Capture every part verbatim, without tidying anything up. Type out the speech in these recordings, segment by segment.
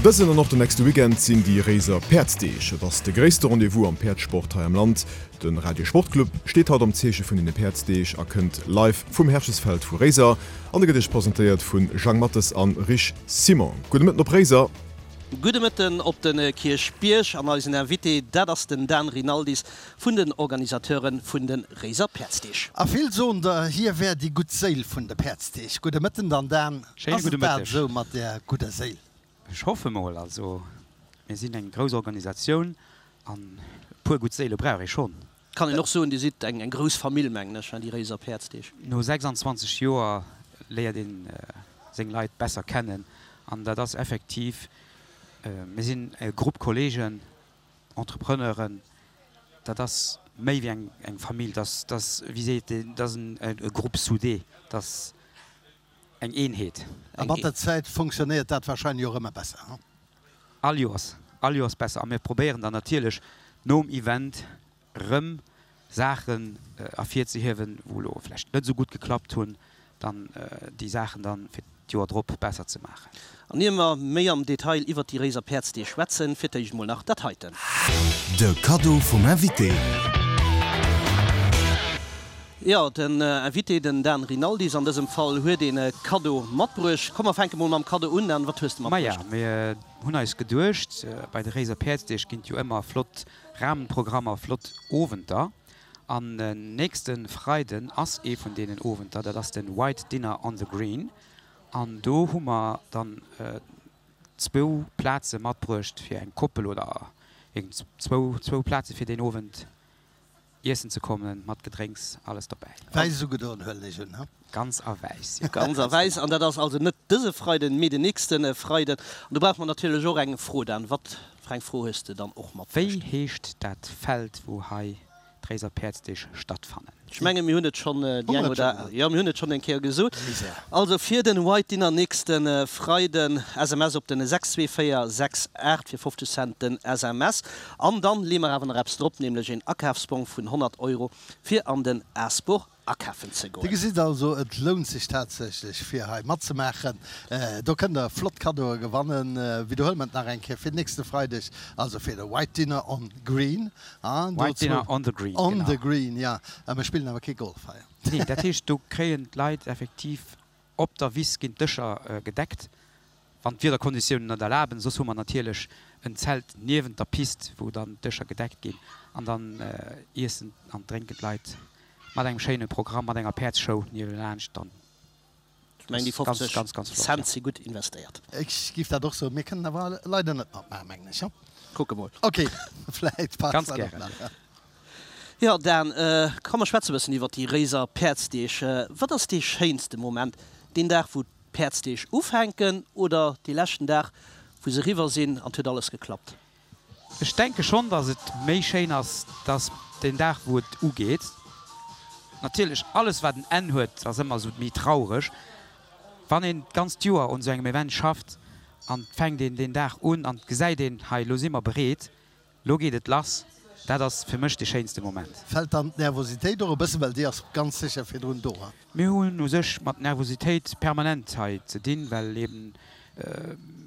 Dësen an och den nächste Weekend sinn déi Réiser Päerdsdeeg. Et ass de gréisste Rendez-vous am Päerdssport hei am Land. De Radio Sportclub steet haut am Zeeche vun den Päerdsdeeg a kënnt live vum Herchesfeld vu Réiser. An de gëtt iech presentéiert vun Jang Mathes an Rich Simon. Gudde Mëtten op Réiser. Gudde Mëtten op de Kierchbierg an eisen Invité, dat ass den Dan Rinaldis vun den Organisateure vun de Réiser Päerdsdeeg. A vill soen der, hie wär déi gutt Séil vun de Päerdsdeeg. Gudde Mëtten dann, Dan. Schéine Ass gudde et dat Mëtteg. esou mat där gudder Séil? Ech hoffe mol. Also mir sinn eng grouss Organisatioun an e puer gutt Séile brauch ee schonn. Kann een och soen, Dir sidd eng grouss Famill, mengen ech, déi Réiser Päerdsdeeg. No sechsanzwanzeg Joer léiert ee seng Leit besser kennen an dat ass effektiv, mir sinn e Grupp Kolleegen, Entrepreneuren, dat ass méi wéi eng Famill, dat ass, wéi seet een, dat ass e Groupe soudé, dat ass eng Eenheet. A mat der Zäit fonctionnéiert dat warscheinlech och ëmmer besser, he? All Joers, all Joers besser. A mir probéieren dann natierlech nom Event erëm Saachen ervirzehiewen, wou elo vläicht net esou gutt geklappt hunn, dann déi Saachen dann fir d'Joer drop besser ze maachen. An ier mer méi am Detail iwwert déi Réiser Päerdsdeeg schwätzen, fir d'éischt emol nach dat heiten. De Kaddo vum Invité. Jo, den Invité, den Dan Rinaldis an dësem Fall, huet een Kaddo matbruecht. Komm, mer fänke mol mam Kaddo un. Dan, wat hues de Maja, matbruecht? mir hunn eis geduecht, bei de Réiser Päerdsdeeg ginn et jo ëmmer flott Rahmenprogrammer, flott Owenter. An nächste Freiden ass ee vun deenen Owenter, dat ass de White Dinner on the Green. An do hu mer dann zwou Plaze matbruecht fir eng Koppel oder zwou, zwou Plaze fir deen Owend. Iessen ze kommen, mat Gedrénks, alles dobäi. Wäiss ugedoen, huelen ech un, he? Ganz a wäiss, jo. Ganz a wäiss. An dat ass also net dëse Freiden, mee den nächste Freiden. An do brauche mer natierlech och eng Fro, Dan. Wat fir eng Fro hues de dann och Wéi matbruecht? heescht dat Feld, wou hei d'Réiser Päerdsdeeg stattfannen? Ech menge mir hunn et schonn déi Hu eng mer et oder schonn gesot? jo, mir hunn et schonn eng Kéier gesot. Misär. Also fir den White Dinner nächste Freiden, S M S op den sechs zwee véier sechs aacht fir fofzeg Cent den S M S. An dann leeë mer awer nach eppes drop, nämlech een Akafsbong vun honnert Euro fir an den Aasbur akafen ze Dir goen. gesitt also, et lount sech tatsächlech fir hei matzemaachen. Do kënnt der flott Kaddoe gewannen. Widderhuele mer et nach eng Kéier fir nächste Freideg, also fir de White Dinner on Green. White Dinner on the Green, On genau. the Green, jo. Mer spillen awer kee Golf hei. Nee, dat heescht, do kréien d'Leit effektiv op der Wiss ginn d'Dëscher gedeckt, wann d'Wiederkonditiounen et erlaben. Soss hu mer natierlech en Zelt niewent der Pist, wou dann d'Dëscher gedeckt ginn an dann iessen an drénken d'Leit mat engem schéine Programm, mat enger Päerdsshow niewelaanscht. Dann Ech mengen, déi ass ganz, fofzeg ganz, ganz flott, Cent jo. si gutt investéiert. Ech giff dat och soen. Mir kënnen awer leider net matmaachen, mengen ech. Kucke mol. Ok, vläit passt Ganz dat och gären. nach. Jo, Dan, komm mer schwätze bëssen iwwer déi Réiser Päerdsdeeg. Wat ass dee schéinste Moment? Deen Dag, wou d'Päerdsdeeg ufänken oder dee leschten Dag, wou se eriwwer sinn an 't huet alles geklappt? Ech denke schonn, dass et méi schéin ass, dass deen Dag, wou et ugeet. Natierlech, alles wat en Enn huet, ass ëmmer esou méi traureg. Wann een d'ganzt Joer un esou engem Event schafft an et fänkt een deen Dag un an et gesäit een, hei elo si mer bereet, elo geet et lass, dat ass fir mech dee schéinste Moment. Fält dann d'Nervositéit och e bëssen, well déi ass ganz sécher virdrun do? Mir hunn u sech mat Nervositéit permanent hei ze dinn, well eben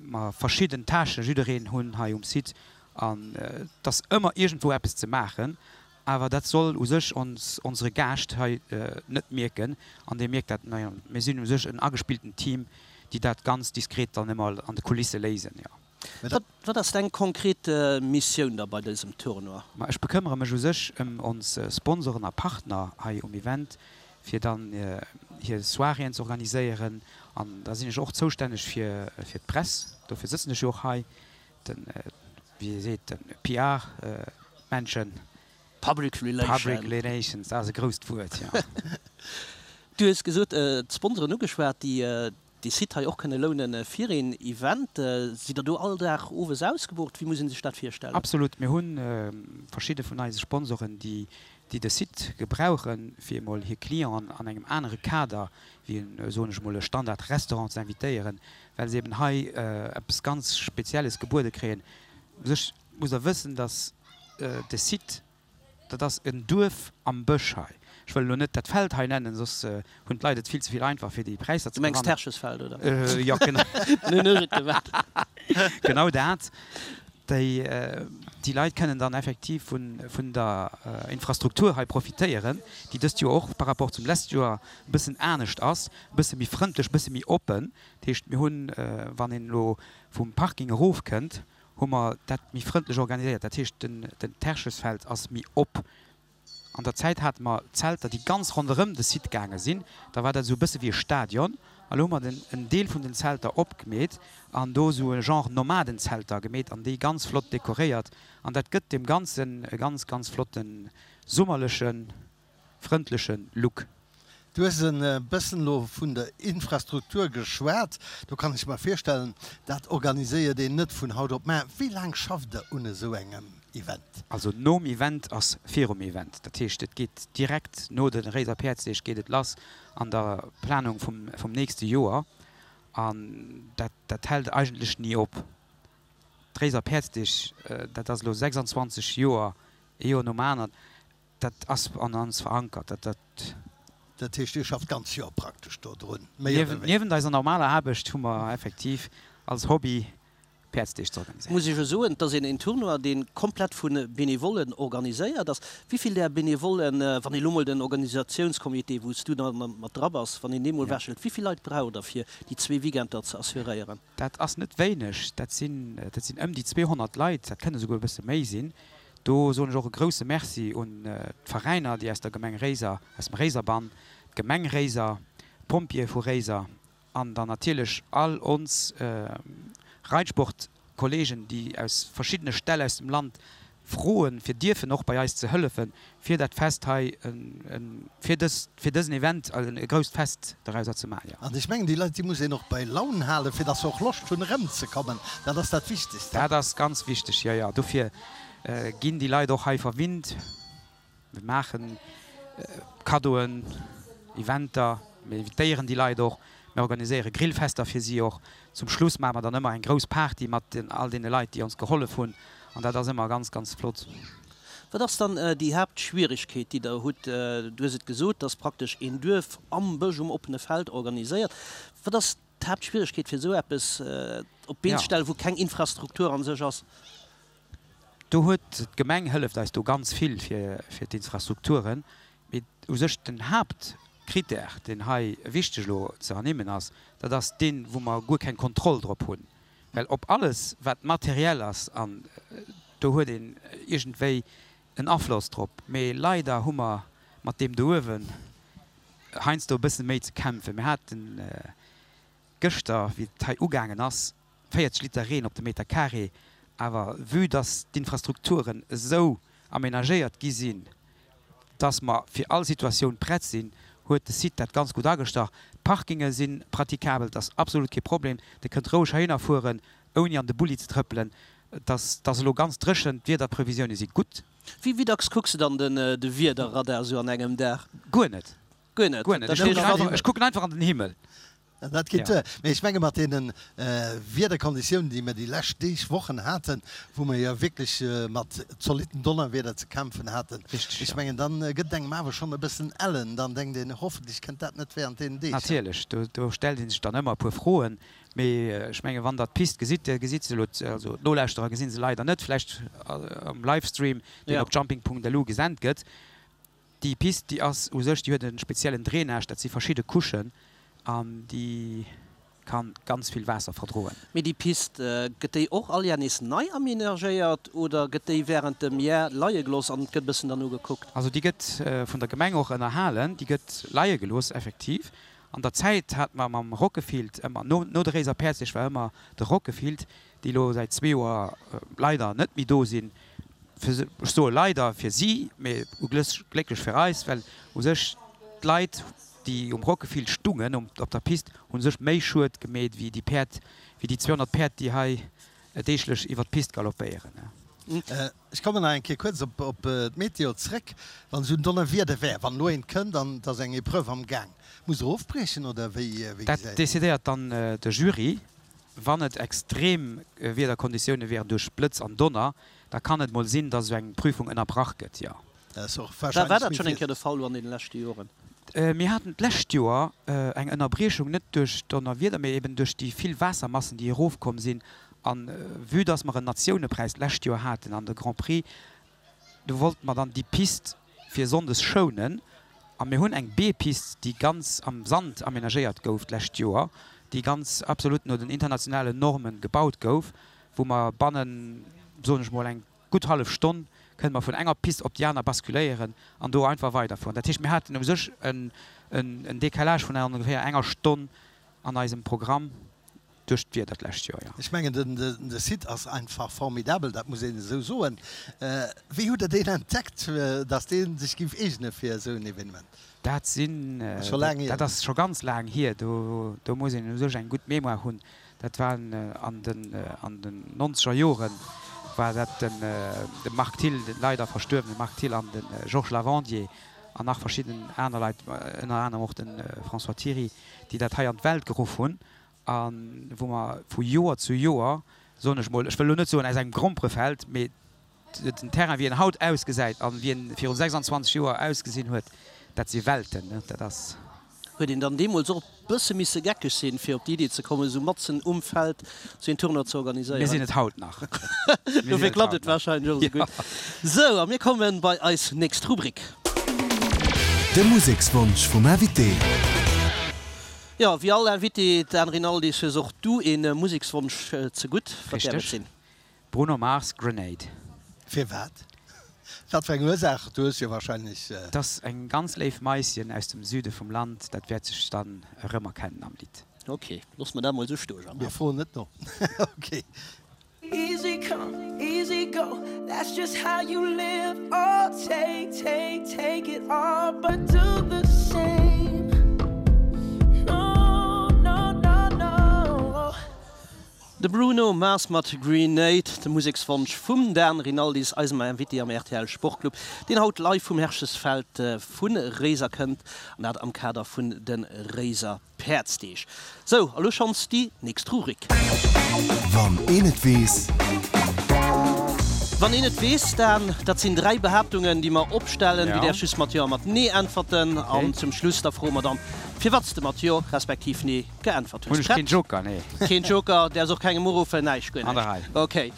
mer verschidden Tâchen jiddereen hunn hei um Site an et ass ëmmer iergendwou eppes ze maachen. Awer dat soll u sech ons onsere Gaascht hei net mierken an dee mierkt dat, naja, mir sinn u sech en agespillten Team, déi dat ganz diskret dann ëmmer an de Kulisse léisen, jo. Wat wat ass deng konkret Missioun da bei dësem Tournoi? Ma ech bekëmmere mech u sech ëm ons Sponsoren a Partner hei um Event, fir dann hir Soiréeën ze organiséieren an da sinn ech och zoustänneg fir fir d'Press, dofir sëtzen ech jo och hei, den, wéi ee seet, den P R Menschen. Public Relations. Public Relations, dat ass e grousst Wuert, jo. Du hues gesot, d'Sponsoren ugeschwat, déi dee Site hei och kënne lounen fir een Event. Sidd Der do all Dag owes ausgebucht? Wéi muss ee sech dat virstellen? Absolut. Mir hu verschidde vun eise Sponsoren, déi de Site gebrauchen, fir emol hir Clienten an engem anere Kader wéi en, soen ech emol, e Standard-Restaurant ze invitéieren, well se eben hei eppes ganz Spezielles gebuede kréien. U sech musst Der wëssen, dass de Site, dat ass en Duerf am Bësch hei. Ech wëll elo net dat Feld hei nennen, soss hunn d'Leit et vill ze vill einfach, fir déi Präisser Du ze mengs gewannen. d'Herrschesfeld, oder? Jo, genau. Nun hunn ech et gewat. Genau dat. Déi, déi Leit kënnen dann effektiv vun, vun der Infrastruktur hei profitéieren, déi dëst Joer och par rapport zum lescht Joer e bëssen anescht ass, e bësse méi frëndlech, e bësse méi oppen. Dat heescht, mir hunn, wann een elo vum Parking erofkënnt, hu mer dat méi frëndlech organiséiert. Dat heescht, den, den Terchesfeld ass méi op. An der Zäit hate mer Zelter, déi ganz ronderëm de Site gaange sinn. Da war dat esou e bësse wéi e Stadion. A lo hu mer den, en Deel vun den Zelter opgemeet an do esou e Genre Nomadenzelter gemeet an déi ganz flott dekoréiert. An dat gëtt deem Ganzen e ganz, ganz flotten, summerlechen, frëndleche Look. Du hues e bëssen elo vun der Infrastruktur geschwat. Do kann ech mer virstellen, dat organiséiert een net vun haut op mar. Wéi laang schafft Der un esou engem Event? Also nom Event ass virum Event. Dat heescht, et geet direkt no de Réiser Päerdsdeeg geet et lass an der Planung vum, vum nächste Joer. An dat, dat hält eigentlech ni op. D'Réiser Päerdsdeeg, dat ass elo sechsandzwanzeg Joer, ee Joer nom aneren, dat ass an ons verankert. Dat, dat. Dat heescht, Dir schafft d'ganz Joer praktesch do drun, méi oder wéineger? Niewent eiser normaler Aarbecht hu mer effektiv als Hobby Päerdsdeeg ze organiséieren. Muss ech jo soen, et ass een Tournoi, dee komplett vu Benevollen organiséiert ass. Wéi vill där Benevollen, wann ee lo mol den Organisatiounscomité, wou s du da mat dra bass, wann een dee mol wechelt, wéi vill Leit braucht Der, fir déi zwee Weekender ze assuréieren? Dat ass net wéineg, dat sinn, dat sinn ëm déi zweehonnert Leit, dat kënne souguer e bësse méi sinn. Do soen ech och e grouse Merci un d'Veräiner, déi aus der Gemeng Réiser, aus dem Réiserbann, d'Gemeng Réiser, d'Pompjeeë vu Réiser an dann natierlech all ons Reitsportkollegen, déi aus verschiddene Ställ aus dem Land froen, fir dierfen och bei eis ze hëllefen, fir dat Fest hei, fir dës, fir dësen Event e grousst Fest dorauser ze maachen. An ech mengen, déi Leit, déi muss een och bei Laun halen, fir dass se och Loscht hunn, erëmzekommen. Dat ass dat Wichtegst. Dat ass ganz wichteg, jo, jo. Dofir ginn déi Leit och hei verwinnt. Mir maache Kaddoen, Eventer, mir invitéieren déi Leit och. Mir organiséiere Grillfester fir si och. Zum Schluss maache mer dann ëmmer eng grouss Party mat all deene Leit, déi ons gehollef hunn. An dat ass ëmmer ganz, ganz flott. Wat ass dann déi Haaptschwieregkeet, déi Der hutt? Du hues et gesot, dass praktesch een Duerf am Bësch um oppene Feld organiséiert. Wat ass d'Haaptschwieregkeet, fir esou eppes op d'Been ze stellen, wou keng Infrastruktur a sech ass? Do huet d'Gemeng hëlleft eis do ganz vill fir d'Infrastrukturen. Mee u sech den Haaptkrittär, deen hei wichteg elo ze ernimmen ass, dat ass deen, wou mer guer keng Kontroll drop hunn. Well op alles, wat materiell ass, an do huet een iergendwéi en Afloss drop, mee leider hu mer mat deem do uewen heiansdo e bësse méi ze kämpfen. Mir haten gëschter, wéi et hei ugaangen ass, véierzeg Liter Reen op de Meter carré. Awer vue dass d'Infrastrukturen esou amenagéiert gi sinn, dass mer fir all Situatioun prett sinn, huet de Site dat ganz gutt agestach. D'Parkinge si pratikabel, et ass absolut kee Problem. Dir kënnt roueg heihinner fueren, ouni an de Bulli ze trëppelen. Et ass elo ganz dréchen, d'Wiederprevisioune si gutt. Wéi dacks kucks de dann de Wiederradar esou an engem Dag? Guer net. Guer net? Guer net. Ech kucken einfach an den Himmel. Dat geet duer. Mee ech menge mat deene Wiederkonditiounen, déi mir déi lescht Deeg, Wochen haten, wou mir jo wierklech mat zolitten Donnerwieder ze kämpfen haten, ech mengen, da gëtt et engem awer schonn e bëssen ellen. Dann denkt een, hoffentlech kënnt dat net während deenen Deeg. Natierlech, do stellt ee sech dann ëmmer e puer Froen. Mee ech menge wann Der d'Pist gesitt, Dir gesitt se elo, also d'Nolauschterer gesi se leider net, vläicht am Livestream, deen op jumping Punkt lu gesent gëtt, Déi Pist, déi ass u sech, déi huet e speziellen Drainage, dat si verschidde Couchen an déi ka ganz vill Waasser verdroen. Mee déi Pist, gëtt déi och all Jar nees nei amenagéiert oder gëtt déi wärend dem Jar leie gelooss an et gëtt e bëssen derno gekuckt? Also déi gëtt vun der Gemeng och ënnerhalen, déi gëtt leie gelooss effektiv. An der Zäit hat mer mam Rockefield ëmmer, no no de Réiser Päerdsdeeg war ëmmer de Rockefield, déi elo säit zwee Joer leider net méi do sinn, Fir, ech soe leider fir si, mee glécklech fir eis, well u sech d'Leit, déi um Rockefield stungen, op der Pist, hu sech méi Schued gemeet wéi déi Päerd, wéi déi zweehonnert Päerd, déi hei deeglech iwwer d'Pist galoppéieren. Ech kommen nach eng Kéier kuerz op d'Meteo zréck. Wann esou en Donnerwieder wär, wann elo eent kënnt an et ass eng Epreuve am Gaang, musst Der ofbriechen oder wéi gesäit Dat decidéiert dann de Jury. Wann et extrem Wiederkonditioune wären duerch Blëtz an Donner, da kann et mol sinn, dass esou eng Prüfung ënnerbrach gëtt, jo. War dat schonn eng Kéier de Fall lo an deene leschte Joren? Mir haten d'lescht Joer eng Ënnerbriechung, net duerch Donnerwieder, mee eben duerch déi vill Waassermassen, déi erofkomm sinn An vue dass mer en Natiounepräis d'lescht Joer haten an de Grand Prix, do wollte mer dann déi Pist fir sonndes schounen. A mir hunn eng B-Pist, déi ganz am Sand amenagéiert gouf d'lescht Joer, déi ganz absolut no den internationalen Normen gebaut gouf, wou mer bannen, soen ech mol, eng gutt hallef Stonn kënne mer vun enger Pist op déi aner basculéieren an do einfach weiderfueren. Dat heescht, mir haten u sech en Décalage vun ongeféier enger Stonn an eisem Programm duerch d'Wieder d'lescht Joer, jo. Ech mengen, de Site ass einfach formidabel, dat muss een esou soen. Wéi hutt Der deen entdeckt, dass dee sech géif eegene fir esou en Evenement? Dat sinn, dat ass scho ganz laang hier. Do muss een u sech eng gutt Mémoire hunn. Dat war an den an den nonzeger Joren war dat den de Marc Thill, den leider verstuerwene Marc Thill an de Georges Lavandier an nach verschidden aner Leit, ënner anerem och de François Thiry, déi dat hei an d'Welt geruff hunn a wou mer vu Joer zu Joer, soen ech mol, ech wëll elo net soen aus engem Gromperefeld, mee den Terrain wéi en haut ausgesäit an wéi en viru sechsandzwanzeg Joer ausgesinn huet, dat si Welten, dat ass. Huet een dann deemools och e bësse misse geckeg sinn, fir op déi Idee ze kommen, esou matzen um Feld esou een Tournoi ze organiséieren? Mir sinn et haut nach. Dofir klappt et warscheinlech och esou gutt. Sou, a mir komme bei eis nächst Rubrik. De Musekswonsch vum Invité. Jo, wéi all Invité, Dan Rinaldis, hues och du ee Musekswonsch zegutt. Wat däerf et Richteg. sinn? Bruno Mars, Grenade. Firwat? Wat fir eng Ursaach? Du hues jo wahrscheinlech. Et ass eng ganz léif Maisschen aus dem Süde vum Land, dat wäert sech dann erëmerkennen am Lidd. Ok, loosse mer dat mol esou stoen, Jean-Marc. Mir froen net no. Ok. Easy come, easy go, that's just how you live, oh take, take, take it all, but do the same, no, no, no, no. De Bruno Mars mat Grenade, de Musekswonsch vum Dan Rinaldis, eisem Invité am rtl Sportclub, deen haut live vum Herchesfeld vu Réiser kënnt, an dat am Kader vun de Réiser Päerdsdeeg. Sou, a lo schonns déi nächst Rubrik. Wann een et weess. Wann een et weess, Dan, dat sinn dräi Behaaptungen, déi mer opstellen. Du Ja. däerfs just mat Jo a mat Nee äntwerten. Okay. An zum Schluss da froe mer dann, firwat s de mat Jo respektiv Nee geäntwert Hunn hues. ech keen Prett? Joker? Nee. Keen Joker, däerfs och kengem uruffen, näischt, guer An der näischt. Rei. Okay.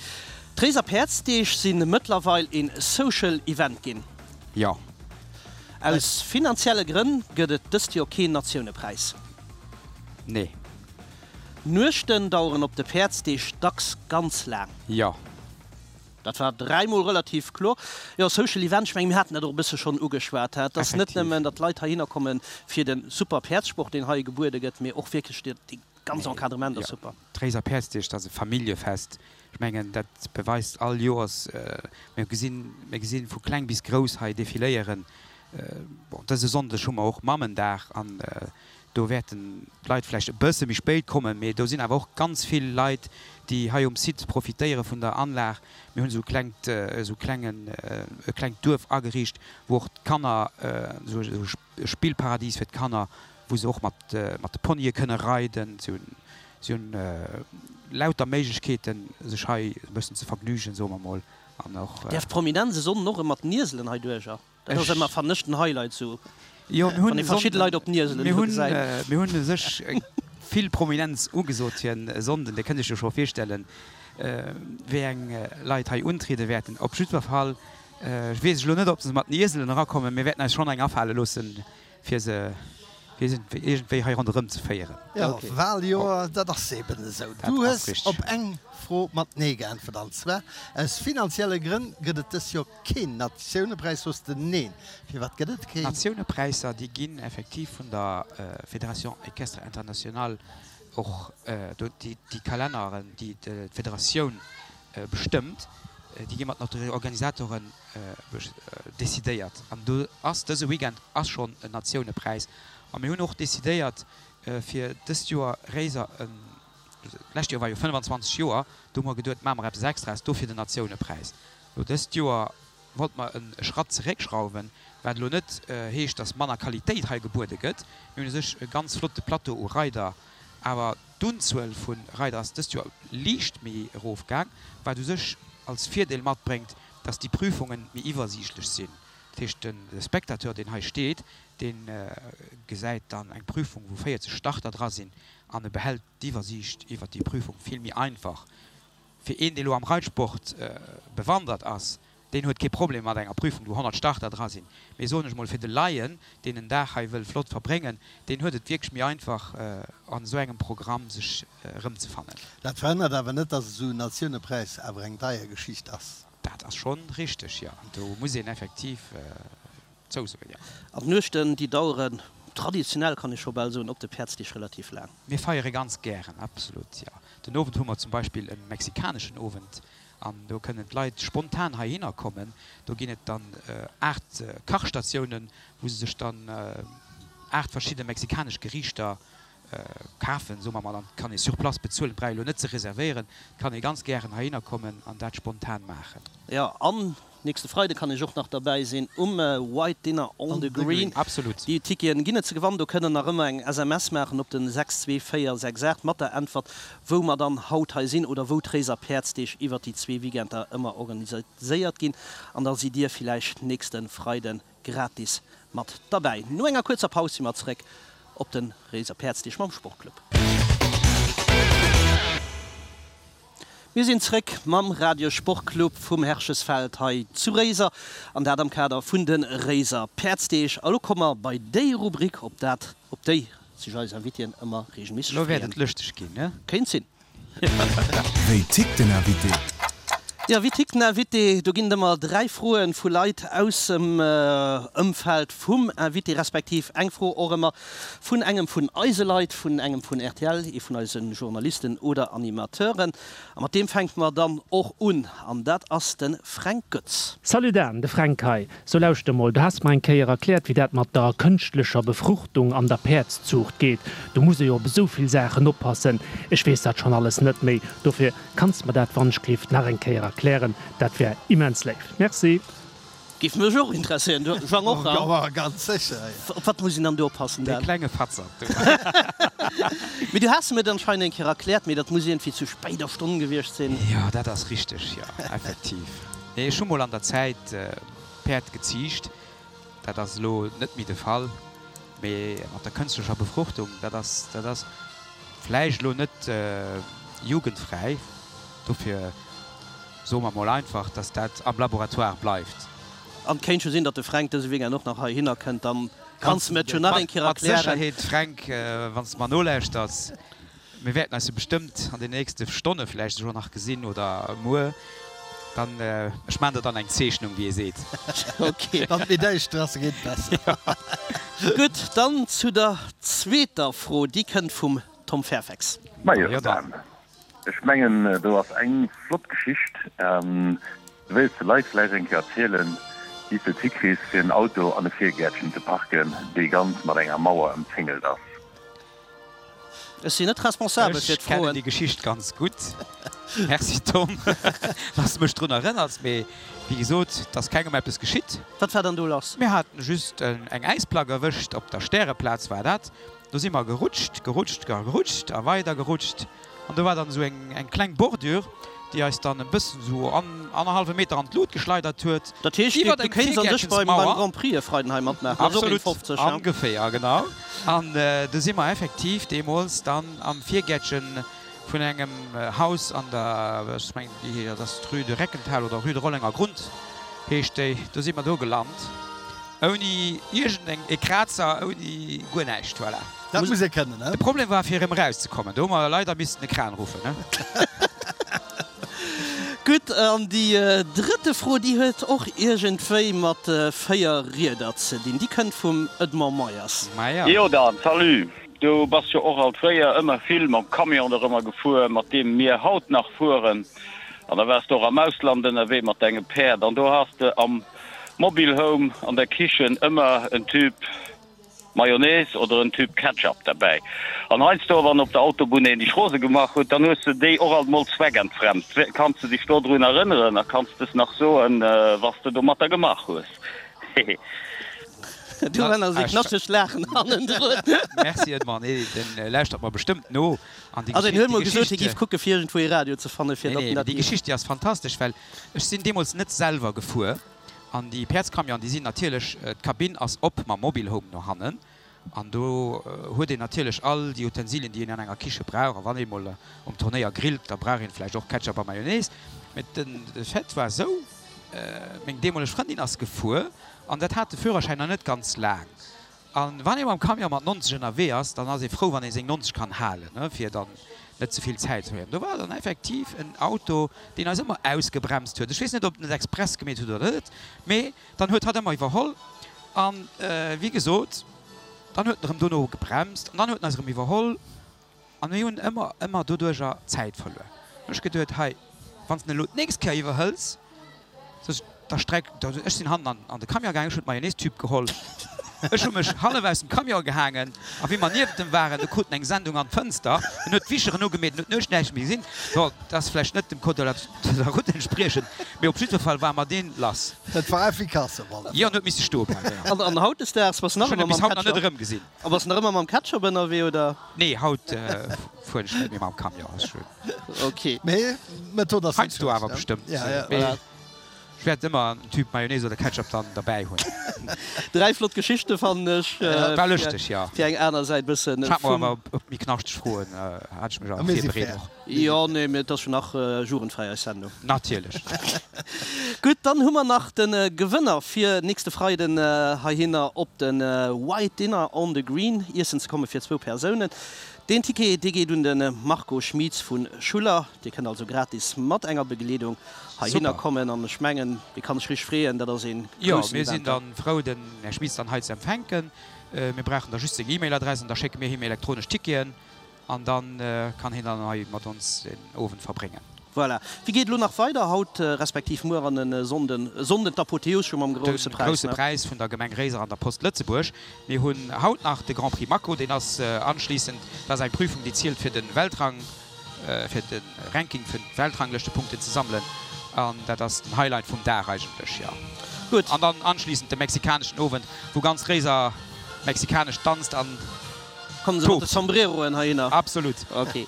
D'Réiser Päerdsdeeg si mëttlerweil een Social Event ginn. Jo. Aus finanzielle Grënn gëtt et dëst Joer keen Natiounepräis. Nee. D'Nuechten daueren op de Päerdsdeeg dacks ganz laang. Jo. Dat war dräimol relativ kloer. Jo, Social Event, ech mengen, mir haten dat och e bësse schonn ugeschwat, dat ass net Effektiv. nëmmen, datt d'Leit heihinner kommen fir de super Päerdssport, deen hei gebuede gëtt, mee och wierklech dee ganze Nee, Encadrement ass jo. super. D'Réiser Päerdsdeeg, dat ass e Familljefest. Ech mengen, dat beweist all Joers. Mir gesinn, mir gesinn vu kleng bis grouss hei defiléieren. Bon, dëse Sonndeg hu mer och Mammendag an do wäerten d'Leit vläicht e bësse méi spéit kommen, mee do sinn awer och ganz vill Leit, déi hei um Site profitéiere vun der Anlag. Mir hunn esou klengt, esou klengen, e klengt Duerf ageriicht, wou och d'Kanner, esou e Spillparadies fir d'Kanner, wou se och mat, mat de Ponye kënne reiden. Si hunn, si hunn lauter Méiglechkeeten, sech hei e bëssen ze vergnügen, soe mer mol, an och. Däerf d'Prominenz e Sonnden och erëm mat den Ieselen hei duercher? Dat ass ëmmer, fannen ech, den Highlight sou, Jo, mir wann hunn ee verschidde Leit op den Ieselen mir do hunn, gesäit. mir hunn u sech vill Prominenz ugesot fir en Sonnden. Dir kënnt Iech jo scho virstellen, wéi eng Leit hei untriede wäerten. Op jiddwer Fall weess ech elo net, ob se mat den Ieselen erakommen. Mir wäerten eis schonn eng afale loossen, fir se fir se iergendwéi hei ronderëm ze féieren. Jo, Waljoer, dat ass eben esou. Dat Du ass hues richteg. op eng Fro mat Nee geäntwert, an zwar, Aus finanzielle Grënn gëtt et dës Joer keen Natiounepräis. Soss de Neen. Firwat gëtt et keen? D'Natiounepräisser, déi ginn effektiv vun der Fédération Équestre Internationale och, déi Kalenneren, déi d'Federatioun bestëmmt, déi gi mat den Organisatoren decidéiert. An do ass dëse Weekend ass schonn en Natiounepräis. A mir hunn och decidéiert, fir dëst Joer Réiser en, d'lescht Joer war jo fënnfanzwanzeg Joer, do hu mer geduet, maache mer eppes Extraes, dofir den Natiounepräis. Elo dëst Joer wollte mer e Schratt zeréckschrauwen, wat elo net heescht, datt manner Qualitéit hei gebuede gëtt. Mir hunn u sech e ganz flotte Plateau u Reider, awer d'Unzuel vu Reider ass dëst Joer liicht méi erofgaang, wat u sech als Virdeel matbréngt, datt déi Prüfunge méi iwwersiichtlech sinn. Dat heescht, de Spectateur, deen hei steet, dee gesäit dann eng Prüfung, wou véierzeg Starter dra sinn, an e behält d'Iwwersiicht iwwert déi Prüfung vill méi einfach. Fir een, dee lo am Reitsport bewandert ass, deen huet kee Problem mat enger Prüfung, wou honnert Starter dra sinn. Mee soen ech mol, fir de Laien, deen en Dag hei wëll flott verbréngen, deen huet et wierklech méi einfach, an esou engem Programm sech erëmzefannen. Dat verhënnert awer net, dass esou en Natiounepreis awer eng deier Geschicht ass. Dat ass schonn richteg, jo. Do muss een effektiv zousoen, jo. An d'Nuechten, déi daueren traditionell, kann ee scho bal soen, op de Päerdsdeeg relativ laang. Mir feiere ganz gären, absolut, jo. Den Owend hu mer zum Beispill e mexikaneschen Owend an do kënnen d'Leit spontan heihinner kommen. Do ginn et dann aacht Kachstatiounen, wou se sech dann aacht verschidde mexikanesch Geriichter kafen, soe mer mol, an et kann ee sur place bezuelen, et brauch ee lo net ze reservéieren, et kann ee ganz gären heihinner kommen an dat spontan maachen. Jo, an nächste Freide kann ech och nach derbäi sinn um White Dinner on the Green. Absolut. Déi Ticketen ginn et ze gewannen. Do kënnt der nach ëmmer eng S M S maachen op den sechs zwee véier sechs aacht mat der Äntwert, wou mer dann haut hei sinn oder wou d'Réiser Päerdsdeeg iwwert déi zwee Weekender ëmmer organiséiert ginn. An da sidd Dir villäicht nächste Freide gratis mat derbäi. No enger kuerzer Paus si mer zeréck op de Réiser Päerdsdeeg mam Sportclub. Mir sinn zréck mam Radio Sportclub vum Herchesfeld hei zu Réiser, an dat am Kader vun de Réiser Päerdsdeeg. A lo komme mer bei déi Rubrik, op dat, op déi sech eis Invitéen ëmmer reegelméisseg Lo wäert freeën. et lëschteg ginn, ne? Kéint sinn. Wéi tickt den Invité? Jo, wéi tickt den Invité? Do ginn et ëmmer dräi Froe vu Leit aus dem Ëmfeld vum Invité, respektiv eng Fro och ëmmer vun engem vun eise Leit, vun engem vun R T L, ee vun eise Journalisten oder Animateuren. A mat deem fänke mer dann och un, an dat ass de Fränk Goetz. Salut Dan, de Fränk hei. So lauschter mol, du has mer eng Kéier erkläert wéi dat mat der kënschtlecher Befruchtung an der Päerdszuucht geet. Do muss ee jo op esou vill Saachen oppassen. Ech weess dat schonn alles net méi. Dofir kanns mer dat wannschgelift nach eng Kéier erklären, dat wär immens léif. Merci. Giff mech och interesséieren, du Jean och, hein? Jo, ganz sécher, jo. Op wat muss een dann do oppassen, Dee Dan? klenge Fatzert do. Mee du has mir et anscheinend eng Kéier erkläert, mee dat muss iergendwéi zu spéider Stonn gewiescht sinn. Jo, dat ass richteg, jo, effektiv. Nee, ech hu mol an der Zäit Päerd geziicht. Dat ass elo net méi de Fall. Mee mat der kënstlecher Befruchtung, dat ass, dat ass vläicht elo net jugendfräi. Dofir soe mer mol einfach, dass dat am Laboratoire bleift. An et kéint jo sinn, datt de Fränk dëse Weekend och nach heihinner kënnt, dann kanns de mir et jo nach eng Kéier Mat erklären. Sécherheet, Fränk, wann s de mer nolauschters. Mir wäerten eis jo bestëmmt an den nächste Stonne vläicht esouguer nach gesinn oder muer. Dann, ech maachen der dann eng Zeechnung, wéi ee seet. Ok. Wann et méi däischter ass, geet et besser. Gutt, dann zu der zweeter Fro, déi kënnt vum Tom Fairfax. Majo, Dan, ech mengen do ass eng flott Geschicht. Du wéilts de Leit vläicht eng Kéier erzielen, wéi s de et hikriss, fir en Auto an e Virgäertchen ze parken, dee ganz mat enger Mauer ëmzéngelt ass. Ech sinn net responsabel fir Ech kennen d'Froen. déi Geschicht ganz gutt. Merci Tom, dass de mech drun erënners. Mee wéi gesot, et ass kengem eppes geschitt. Wat war dann do lass? Mir haten just eng Äisplack erwëscht, op der Stäreplaz war dat. Do si mer gerutscht, gerutscht a gerutscht a weider gerutscht. An do war dann esou eng eng kleng Bordure, déi eis dann e bëssen esou an annerhallwe Meter an d'Lut geschleidert huet. Dat heescht, Iwwert du eng kéints an sech beim beim Virgäertchensmauer. Grand Prix e Freiden hei matmaachen. Dat ass och een Absolut, fofzeg, ja. ongeféier, genau. An do si mer effektiv deemools dann am Virgäertche vun engem Haus an der, ech mengen, déi, dat ass d'Rue de Reckenthal oder Rue de Rollenger Grund heescht déi, do si mer do gelant. Ouni iergendeng e Krazer, ouni guer näischt, voilà. Dat muss ee kënnen, ne? De Problem war fir erëm erauszekommen. Do hu mer leider missten e Kran ruffen, ne? Gutt, an déi drëtte Fro, déi huet och iergendwéi mat véier Rieder ze dinn. Déi kënnt vum Edmond Meyers. Maja. Jo Dan, salut. Du bass jo och alt fréier ëmmer vill mam Camion dorëmmer gefuer, mat deem mir haut nach fueren. An da waars de och am Ausland ënnerwee mat denge Päerd an do has de am Mobile Home an der Kichen ëmmer en Tube Mayonnaise oder en Tube Ketchup derbäi. An heiansdo, wann op der Autobunn een dech rose gemaach huet, dann hues de déi och alt mol zweckentfremd. Kanns de dech dodrun erënneren a kanns de es nach soen, was de domatter gemaach hues? Hehe. Do war nach esou e knaschtegt Laachen hannendrun. Merci Edmond, nee, den lauschtert mer bestëmmt no. An déi Also en Geschicht, huet déi mol gesot, hie Geschicht, géif kucke fir iergendwou ee Radio ze fanne fir nee, datt nee, en mee dat déi géif. Geschicht, déi ass fantastesch, well ech sinn deemools net selwer gefuer. An déi Päerdscamionen, déi sinn natierlech, d'Kabinn ass op mam Mobilhome no hannen. An do huet een natierlech all déi Utensilien, déi een an enger Kiche brauch. A wann ee mol um Turnéier grillt, da brauch een vläicht och Ketchup a Mayonnaise. Mee de Fait war esou, meng deemoleg Frëndin ass gefuer an dat hat de Führerschäin nach net ganz laang. A wann ee mam Camion mat nonzeg ënnerwee ass, dann ass ee frou, wann ee seng nonzeg kann halen, fir dann net ze vill Zäit ze verléieren. Do war dann effektiv en Auto, deen eis ëmmer ausgebremst huet. Ech weess net, ob en et express gemeet huet oder net, mee dann huet hatt ëmmer iwwerholl. A wéi gesot, dann huet en erëm dono gebremst an dann huet en eis erëm iwwerholl. A mir hunn ëmmer, ëmmer doduerjer Zäit verluer. Dann hunn ech geduet, hei, wann s de en elo d'nächst Kéier iwwerhëls, sot ech, da streck, ech sinn hannen an de Camion gaangen, ech hunn d'Mayonnaise-Tube geholl, ech hu mech hallef aus dem Camion gehaangen a wéi mer niewent em waren, do krut en eng Sendung an d'Fënster, en huet d'Wischeren ugemeet, en huet nuecht näischt méi gesinn. Bon, dat ass vläicht net dem Code de la route entspriechend, mee op jiddwer Fall ware mer deen lass. Dat war efficace op alle Fall. Jo, en huet misse stoe bleiwen, jo. An hautdesdaags bass de nach Ech hunn ëmmer e bis mam haut nach net Ketchup? erëmgesinn. A bass de nach ëmmer mam Ketchup ënnerwee, oder? Nee, haut fueren ech net méi mam Camion, ass schön. Ok. Mee d'Method ass net Heiansdo awer schlecht, bestëmmt. ne? Ja, ja. Mee ech wäert ëmmer en Tube Mayonnaise oder Ketchup dann derbäi hunn. Dräi flott Geschichte fannen ech. War lëschteg, jo. Fir eng aner Säit bëssen Ech hat mer vum. awer op méi knaschteg Froen hat ech mech awer Mir si virbereet fair. och. Jo, nee, mee et ass jo nach jugendfräi eis Sendung. Natierlech. Gutt, dann hu mer nach de Gewënner fir nächste Freiden heihinner op de White Dinner on the Green iessen ze komme fir zwou Persounen. Deen Ticket, dee geet un de Marco Schmieds vu Schuller. Dir kënnt also gratis mat enger Begleedung heihinner Super. kommen an ech mengen, dee kann sech richteg freeën. Dat ass ee Jo, groussen mir sinn Event. dann frou den Här Schmieds dann hei ze empfänken. Mir brauchen da just seng E-Mail-Adress an da schécke mir him elektronesch Ticketen an dann kann hien dann hei mat ons den Owend verbréngen. Voilà. Wéi geet elo nach weider haut, respektiv muer an e Sonnden? E Sonnden d'Apotheos scho mam De Grousse Präis, Grousse ne? Präis vun der Gemeng Réiser an der Post Lëtzebuerg. Mir hunn haut nach de Grand Prix Mako, deen ass anschliissend, dat ass eng Prüfung, déi zielt fir de Weltrang, fir de Ranking vun Weltranglëschtepunkten ze sammelen an dat ass den Highlight vum Dag eigentlech, jo. Gutt. An dann anschliissend de mexikaneschen Owend, wou ganz Réiser mexikanesch danzt an. Kommen se mat de Sombreroen heihinner? Absolut. Ok.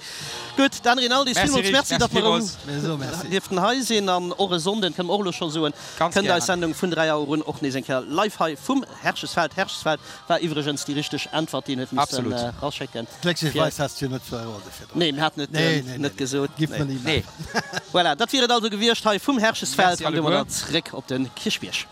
Gutt, Dan Rinaldi, Merci villmools Rich, Merci, merci datt mer erëm villmools. Mir soe Merci. dierften hei sinn. An och e Sonnden, kënne mer och elo scho soen, Ganz kënnt eis gären. Sendung vun dräi Auer un och nees eng Kéier live hei vum Herrschesfeld. Herrschesfeld war iwwregens déi richteg Äntwert, déi een huet missen Absolut. eraschécken. Glécklecherweis has du jo net verrode virdrun. Nee, mir haten et Nee, nee, nee, net nee. gesot. Giff mer Nee. ni Nee. maachen. Voilà, dat wier et also gewiescht hei vum Herrschesfeld. Merci An domadder alleguer. zréck op de Kierchbierg.